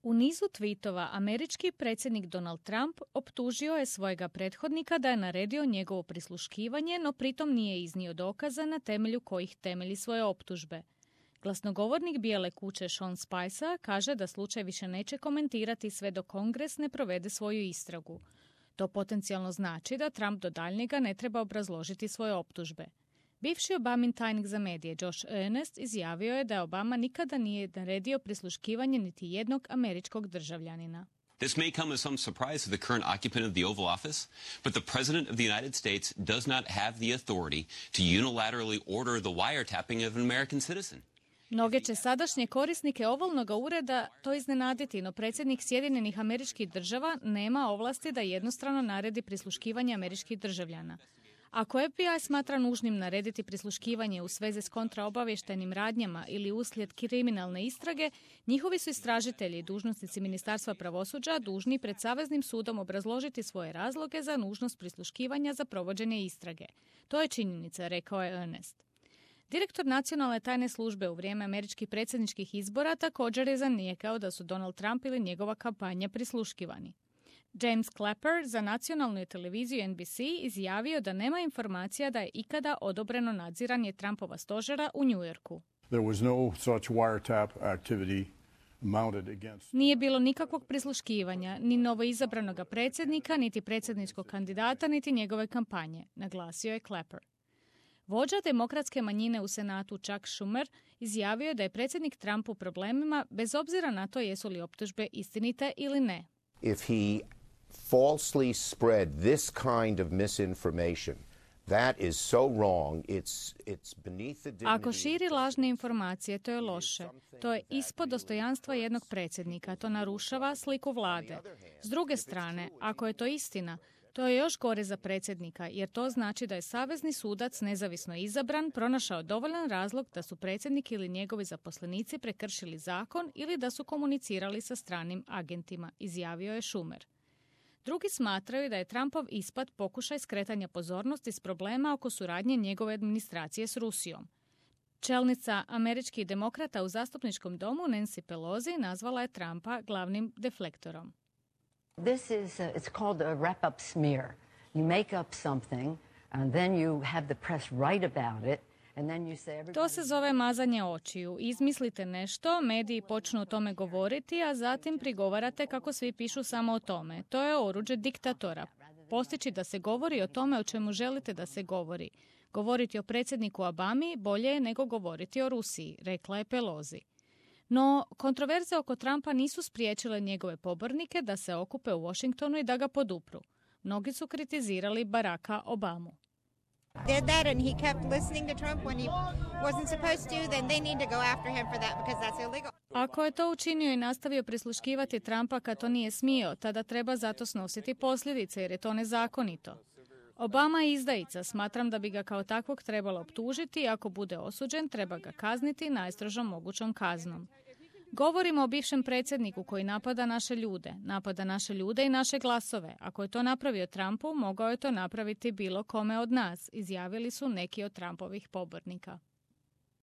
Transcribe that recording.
U nizu tweetova američki predsjednik Donald Trump optužio je svojega prethodnika da je naredio njegovo prisluškivanje, no pritom nije iznio dokaza na temelju kojih temelji svoje optužbe. Glasnogovornik Bijele kuće Sean Spicer kaže da slučaj više neće komentirati sve dok Kongres ne provede svoju istragu. To potencijalno znači da Trump do daljnjega ne treba obrazložiti svoje optužbe. Bivši Obamin tajnik za medije Josh Earnest izjavio je da Obama nikada nije naredio prisluškivanje niti jednog američkog državljanina. This may come as some surprise to the current occupant of the Oval Office, but the President of the United States does not have the authority to unilaterally order the wiretapping of an American citizen. Mnoge će sadašnje korisnike ovalnog ureda to iznenaditi, no predsjednik Sjedinjenih Američkih Država nema ovlasti da jednostrano naredi prisluškivanje američkih državljana. Ako FBI smatra nužnim narediti prisluškivanje u svezi s kontraobavještajnim radnjama ili uslijed kriminalne istrage, njihovi su istražitelji i dužnosnici Ministarstva pravosuđa dužni pred Saveznim sudom obrazložiti svoje razloge za nužnost prisluškivanja za provođenje istrage. To je činjenica, rekao je Earnest. Direktor nacionalne tajne službe u vrijeme američkih predsjedničkih izbora također je zanijekao da su Donald Trump ili njegova kampanja prisluškivani. James Clapper za nacionalnu televiziju NBC izjavio da nema informacija da je ikada odobreno nadziranje Trumpova stožera u New Yorku. Nije bilo nikakvog prisluškivanja, ni novoizabranog predsjednika, niti predsjedničkog kandidata, niti njegove kampanje, naglasio je Clapper. Vođa demokratske manjine u Senatu Chuck Schumer izjavio je da je predsjednik Trump u problemima bez obzira na to jesu li optužbe istinite ili ne. If he falsely spread this kind of misinformation, that is so wrong, it's beneath the dignity. Ako širi lažne informacije, to je loše. To je ispod dostojanstva jednog predsjednika. To narušava sliku vlade. S druge strane, ako je to istina, to je još gore za predsjednika, jer to znači da je savezni sudac nezavisno izabran pronašao dovoljan razlog da su predsjednik ili njegovi zaposlenici prekršili zakon ili da su komunicirali sa stranim agentima, izjavio je Schumer. Drugi smatraju da je Trumpov ispad pokušaj skretanja pozornosti s problema oko suradnje njegove administracije s Rusijom. Čelnica američkih demokrata u zastupničkom domu Nancy Pelosi nazvala je Trumpa glavnim deflektorom. This is, it's called a wrap-up smear. You make up something, and then you have the press write about it, and then you say... To se zove mazanje očiju. Izmislite nešto, mediji počnu o tome govoriti, a zatim prigovarate kako svi pišu samo o tome. To je oruđe diktatora. Postići da se govori o tome o čemu želite da se govori. Govoriti o predsjedniku Obami bolje je nego govoriti o Rusiji, rekla je Pelosi. No, kontroverze oko Trumpa nisu spriječile njegove pobornike da se okupe u Washingtonu i da ga podupru. Mnogi su kritizirali Baracka Obamu. Ako je to učinio i nastavio prisluškivati Trumpa kad to nije smio, tada treba zato snositi posljedice jer je to nezakonito. Obama je izdajica, smatram da bi ga kao takvog trebalo optužiti i ako bude osuđen treba ga kazniti najstrožom mogućom kaznom. Govorimo o bivšem predsjedniku koji napada naše ljude i naše glasove. Ako je to napravio Trumpu, mogao je to napraviti bilo kome od nas, izjavili su neki od Trumpovih pobornika.